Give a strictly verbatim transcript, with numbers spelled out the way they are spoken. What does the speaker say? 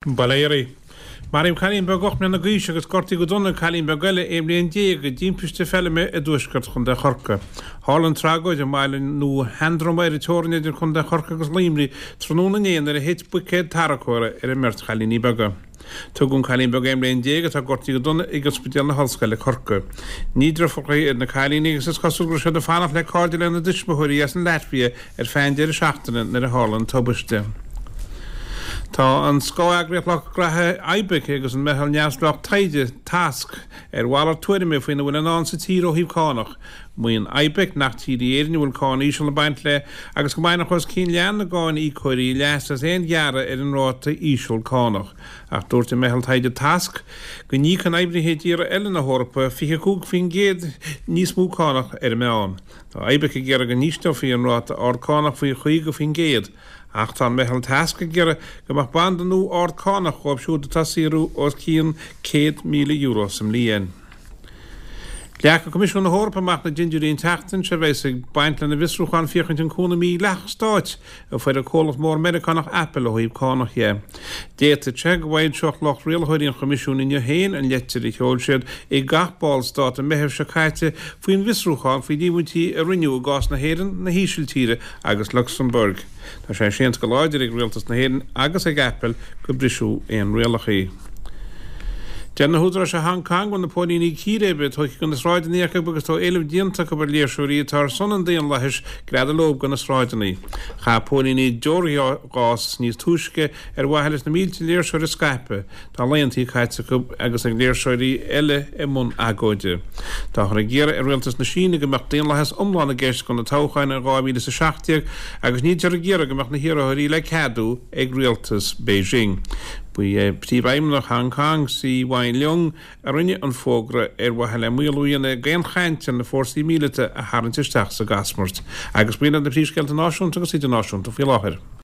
Bail ó Dhia oraibh. Maraíodh cailín beag ocht mbliana d'aois agus gortaíodh go dona cailín beag eile aon bhliain déag i dtimpiste feilme i dtuaisceart Chontae Chorcaí. Tharla an tragóid i mbaile Nua Sheandroma ar an teorainn idir Contae Chorcaí agus Luimnigh tráthnóna inné nuair a thit buicéad tarracóra ar an mbeirt chailíní beaga. Tugadh an cailín beag aon bhliain déag atá gortaithe go dona ag Ospidéal na hOllscoile Corcaigh. Ní deirfiúracha iad na cailíní agus is cosúil go raibh siad ag fanacht le cairde lena dtuismitheoirí as an Laitvia ar feadh an deireadh seachtaine nuair a tharla an tubaiste. Tá an scáth-eagraíocht lucht graithe IBEC agus an meitheal neamhspleách taighde, TASC, ar mhalairt tuairime faoina bhfuil i ndán sa tír ó thaobh cánach. Maíonn IBEC nach tír í Éirinn a bhfuil cáin íseal ag baint léi agus go mbainfeadh os cionn leath na gcáiníocóirí leas as aon ghearradh ar an ráta íseal cánach. Ach dúirt an meitheal taighde TASC go n-íocann oibrithe i dtíortha eile na hEorpa fiche cúig faoin gcéad níos mó cánach ar an meán. Tá IBEC ag iarraidh go n-ísleofaí an ráta ard cánach faoi chaoga faoin gcéad. Ach tá an meitheal TASC ag iarraidh go mbeadh banda nua ard cánach dhóibh siúd atá ag saothrú os cionn céad míle euro sa mbliain. Leagfaidh Coimisiún na hEorpa amach na dindiúirí an tseachtain seo a bheas ag baint lena bhfiosrúchán féachaint an cúnamh mídhleathach stáit a fuair an comhlacht mór Meiriceánach Apple ó thaobh cánach dhe. D'fhéadfadh sé go bhfoilseodh lucht rialaitheoirí an Choimisiúin inniu féin an leitir a sheol siad ag gach ballstát i Meitheamh seo caite faoin bhfiosrúchán faoi líomhaintí a rinneadh i gcás na hÉireann, na hÍsiltíre agus Lucsamburg. Tá sé séanta go láidir ag Rialtas na hÉireann agus ag Apple gur briseadh aon rialacha. Deir na húdaráis i Hong Kong go bhfuil na póilíní círéibe tógtha de na sráideanna acu agus tá éileamh déanta acu ar léirseoirí atá ar son an daonlathais greadadh leo de na sráideanna. Chaith póilíní deorghás níos túisce ar mhaithe leis na mílte léirseoir a scaipeadh. Tá laethanta caite acu agus ag léirseoirí eile i mbun agóide. Táthar ag iarraidh ar Rialtas na Síne go mbeadh daonlathas iomlán i gceist do na toghcháin in dhá mhíle is a seacht déag agus níltear ag iarraidh go mbeadh na hiarrthóirí le ceadú ag rialtas Beijing. Ba é Príomhfheidhmeannach Hong Kong, CY Leung, a rinne an fógra ar mhaithe le maolú a dhéanamh ar aon chaint ar na fórsaí míleata a tharraingt isteach sa gcasmairt. Agus b'in iad na príomhscéalta náisiúnta agus idirnáisiúnta faoi láthair.